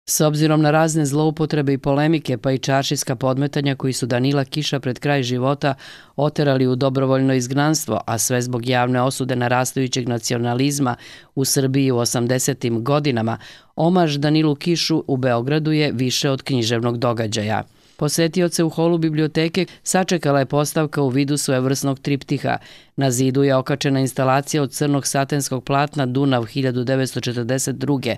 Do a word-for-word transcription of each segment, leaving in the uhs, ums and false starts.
S obzirom na razne zloupotrebe i polemike, pa i čaršijska podmetanja koji su Danila Kiša pred kraj života oterali u dobrovoljno izgnanstvo, a sve zbog javne osude narastajućeg nacionalizma u Srbiji u osamdesetim godinama, omaž Danilu Kišu u Beogradu je više od književnog događaja. Posetioce u holu biblioteke sačekala je postavka u vidu svojevrsnog triptiha. Na zidu je okačena instalacija od crnog satenskog platna Dunav hiljadu devetsto četrdeset druge.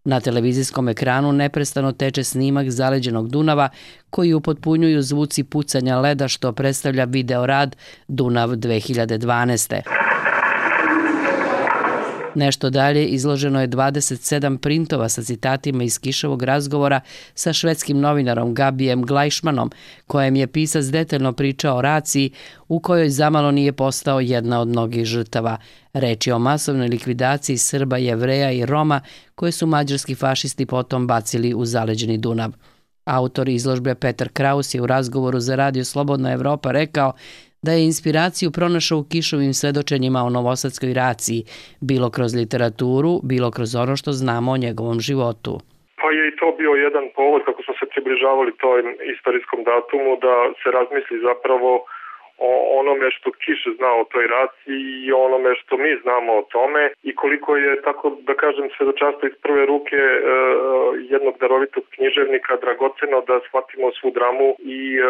Na televizijskom ekranu neprestano teče snimak zaleđenog Dunava koji upotpunjuju zvuci pucanja leda što predstavlja videorad Dunav dve hiljade dvanaeste. Nešto dalje izloženo je dvadeset sedam printova sa citatima iz Kiševog razgovora sa švedskim novinarom Gabijem Glajšmanom, kojem je pisac detaljno pričao o raciji u kojoj zamalo nije postao jedna od mnogih žrtava. Reč je o masovnoj likvidaciji Srba, Jevreja i Roma koje su mađarski fašisti potom bacili u zaleđeni Dunav. Autor izložbe Petar Kraus je u razgovoru za radio Slobodna Evropa rekao da je inspiraciju pronašao u Kišovim svedočenjima o novosadskoj raciji, bilo kroz literaturu, bilo kroz ono što znamo o njegovom životu. Pa je i to bio jedan povod kako smo se približavali tom istorijskom datumu da se razmisli zapravo o onome što Kiš zna o toj raciji i onome što mi znamo o tome i koliko je, tako da kažem, svedočanstvo iz prve ruke e, jednog darovitog književnika dragoceno da shvatimo svu dramu i e,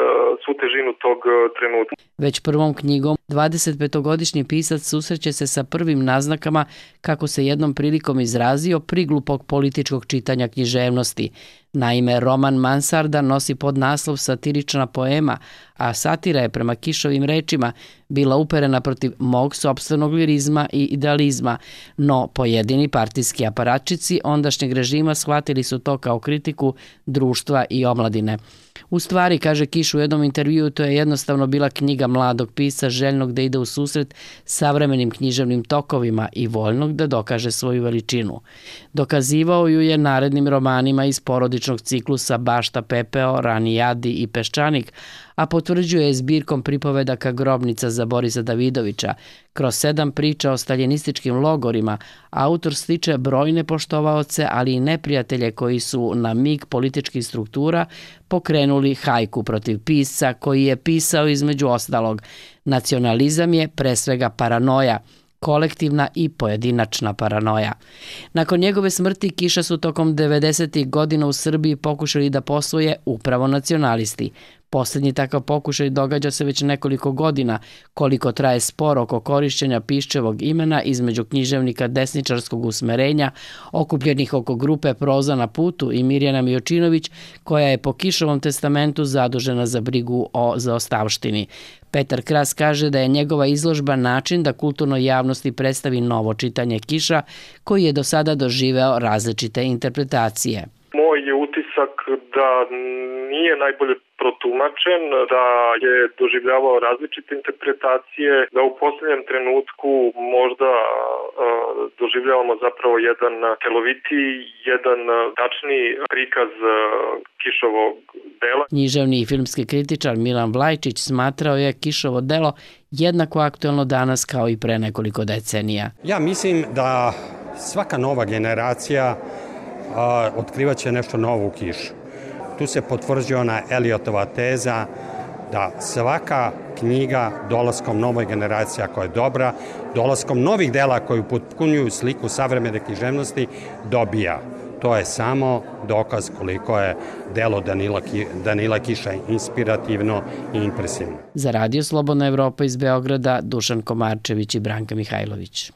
svu težinu tog trenutka. Već prvom knjigom dvadesetpetogodišnji pisac susreće se sa prvim naznakama, kako se jednom prilikom izrazio, priglupog političkog čitanja književnosti. Naime, roman Mansarda nosi podnaslov satirična poema, a satira je prema Kišovim rečima bila uperena protiv mog sopstvenog lirizma i idealizma, no pojedini partijski aparatčici ondašnjeg režima shvatili su to kao kritiku društva i omladine. U stvari, kaže Kiš u jednom intervjuu, to je jednostavno bila knjiga mladog pisca željnog da ide u susret savremenim književnim tokovima i voljnog da dokaže svoju veličinu. Dokazivao ju je narednim romanima iz porodičnog ciklusa Bašta pepeo, Rani jadi i Peščanik, a potvrđuje je zbirkom pripovedaka Grobnica za Borisa Davidovića. Kroz sedam priča o staljinističkim logorima autor stiče brojne poštovaoce, ali i neprijatelje koji su na mig političkih struktura pokrenuli hajku protiv pisca koji je pisao između ostalog: nacionalizam je pre svega paranoja, kolektivna i pojedinačna paranoja. Nakon njegove smrti Kiša su tokom devedesetih godina u Srbiji pokušali da posvoje upravo nacionalisti. Posljednji takav pokušaj događa se već nekoliko godina, koliko traje spor oko korišćenja Piščevog imena između književnika desničarskog usmerenja, okupljenih oko grupe Proza na putu, i Mirjana Mijočinović, koja je po Kišovom testamentu zadužena za brigu o zaostavštini. Petar Kras kaže da je njegova izložba način da kulturnoj javnosti predstavi novo čitanje Kiša, koji je do sada doživeo različite interpretacije. Moj je utisak da nije najbolje protumačen, da je doživljavao različite interpretacije, da u posljednjem trenutku možda uh, doživljavamo zapravo jedan celovitiji, jedan tačniji prikaz uh, Kišovog dela. Književni i filmski kritičar Milan Vlajčić smatrao je Kišovo delo jednako aktuelno danas kao i pre nekoliko decenija. Ja mislim da svaka nova generacija a, otkrivaće nešto novo u Kišu. Tu se potvrđuje ona Eliotova teza da svaka knjiga dolaskom novoj generacija koja je dobra, dolaskom novih dela koji upotpunjuju sliku savremene književnosti dobija. To je samo dokaz koliko je delo Danila, Danila Kiša inspirativno i impresivno. Za radio Slobodna Evropa iz Beograda, Dušan Komarčević i Branka Mihajlović.